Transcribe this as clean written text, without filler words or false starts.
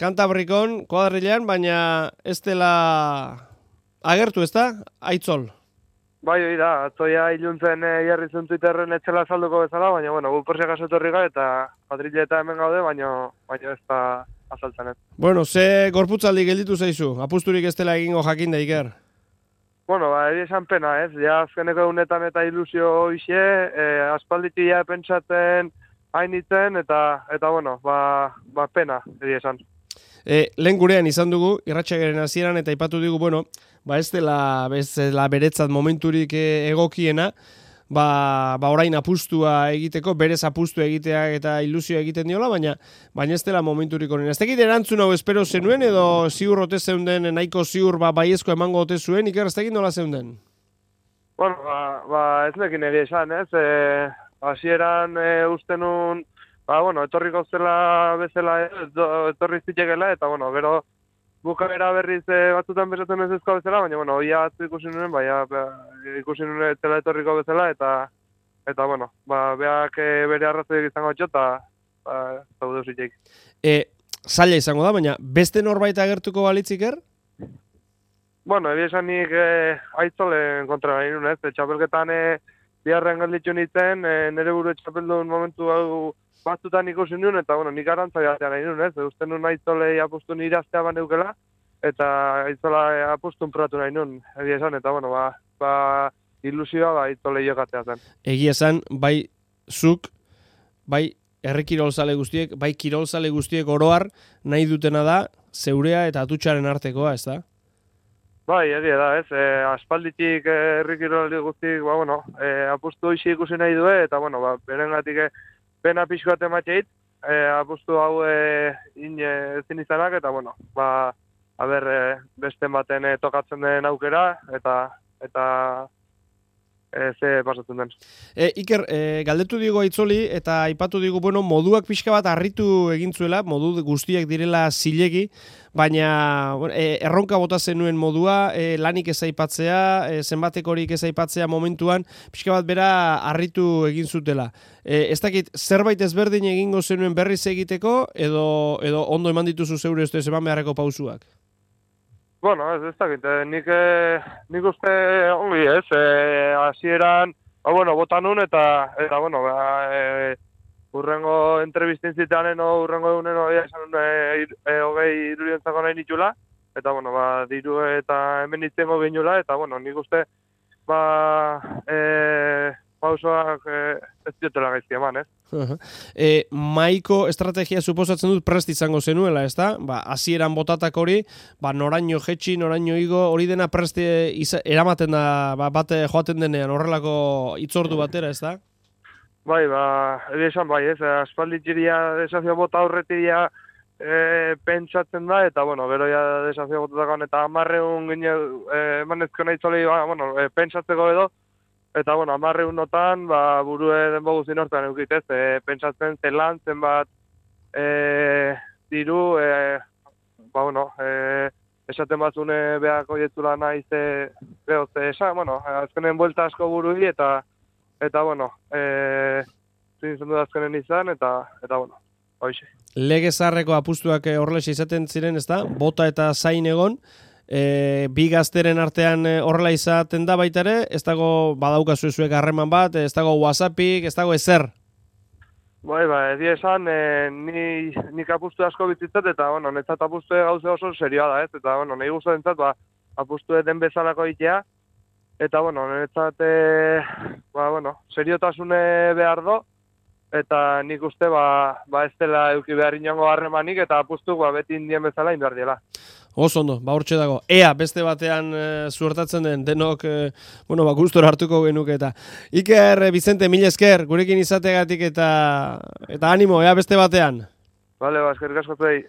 Kantabrikon, kuadrilean, baina ez dela agertu, ez da? Aitzol. Bai, hori da, atzoia iluntzen jarri zuen Twitterren etxela salduko bezala, baina, bueno, gu porsiak asotorri eta kuadrile eta hemen gaude, baina ez da azaltzen ez. Bueno, ze gorputzaldi gelditu zaizu? Apusturik ez dela egingo jakin da, Iker? Bueno, eri esan pena, ez? Ja, azkeneko egunetan eta ilusio hoxe, aspalditik ja pentsatzen hainitzen, eta bueno, pena, eri esan. Lehen gurean izan dugu, irratsaioaren hasieran eta aipatu digu, bueno, ez dela beretzat momenturik egokiena, orain apustua egiteko, berez apustua egitea eta ilusioa egiten diola, baina ez dela momenturik onena. Ez dakit erantzun hau espero zenuen, edo ziur ote zeunden, nahiko ziur baiezko emango ote zuen, Iker, ez dakit nola zeunden? Bueno, ez nekin egia esan, ez? Hasieran uste nun, etorriko zela bezala, etorri zitekela, eta, gero bukaera berriz batzutan besatzen ez ezko bezala, baina, oia atzu ikusi nuen, ikusi nuen zela etorriko bezala, eta beak bere arrazoiek izango txo, eta zaudu zitek. Zaila izango da, baina beste norbait agertuko balitziker? Bueno, ebi esan nik aitzolen kontra nahi nuen, ez? Txapelketan biharren galditxu nintzen, nire buru txapeldun momentu hau batzutan ikusi nuen, eta nik arantzai atean nahi nuen, ez? Uste nuen aitzolei apustu nire aztea baneukela, eta aitzola apustun probatu nahi nuen, egia esan, eta ilusioa aitzolei jokatzea zen. Egia esan, bai zuk, bai herri kirolzale guztiek, bai kirolzale guztiek oroar nahi dutena da, zeurea eta atutxaren artekoa, ez da? Bai, egia da, ez? Aspalditik herri kirolzale guztiek, apustu hoxi ikusi nahi du, eta, berengatik pena pixko bat emateit, apustu hau ezin izanak, eta, beste baten tokatzen den aukera, eta ze pasatzen den. Iker, galdetu digo Aitzoli, eta aipatu digu, moduak pixka bat harritu egin zuela, modu guztiak direla zilegi, baina erronka bota zenuen modua, lanik ez aipatzea, zenbatekorik ez aipatzea momentuan, pixka bat bera harritu egin zutela. Ez dakit, zerbait ezberdin egingo zenuen berriz egiteko, edo ondo eman dituzu zeure ez eman beharreko pausuak? Bueno, ez dakit, nik uste ongi ez, hasieran, bota nun eta urrengo entrevistin zitean, urrengo egunen esan hogei irurientzako nahi nitula, eta diru eta hemen nitzengo gehinula, eta nik uste pausoak ez diotela gaizki eman, ez? Maiko estrategia suposatzen dut prest izango zenuela, ez da? Hasieran botatak hori, noraino jetxi, noraino igo, hori dena prest eramaten da, bate joaten denean, horrelako itzordu batera, ez da? Bai, esan bai, ez? Aspalditxiria desafio bota aurretiria pentsatzen da, eta, gero ja desafio botatakoan, eta 100 emanezko nahi zolei, pentsatzeko edo, eta, 100 notan, burue denbo guzin hortan eukitez, pentsatzen zelan, zenbat diru, esaten batzune behako jetzula nahi azkenen buelta asko burui, eta zintzen du azkenen izan, eta hoxe. Lege zaharreko apustuak horrela izaten ziren, ez da? Bota eta zain egon, bi gazteren artean horrela izaten da baita ere, ez dago badaukazu zuek harreman bat, ez dago WhatsAppik, ez dago ezer? Bai, egia esan, nik apustu asko bizitzat, eta, netzat apustu gauze oso serioa da, ez? Eta, nahi guztu dintzat, apustu den bezalako itea, eta, netzat, seriotasune behar do, eta nik uste, ez dela euki behar inongo harremanik, eta apustu, beti indien bezala indar diela. Oso ondo, hortxe dago. Ea, beste batean zuertatzen den, denok, gustora hartuko genuke eta. Iker, Vicente, mila esker, gurekin izategatik eta animo, ea, beste batean. Bale, eskerrik asko zuei.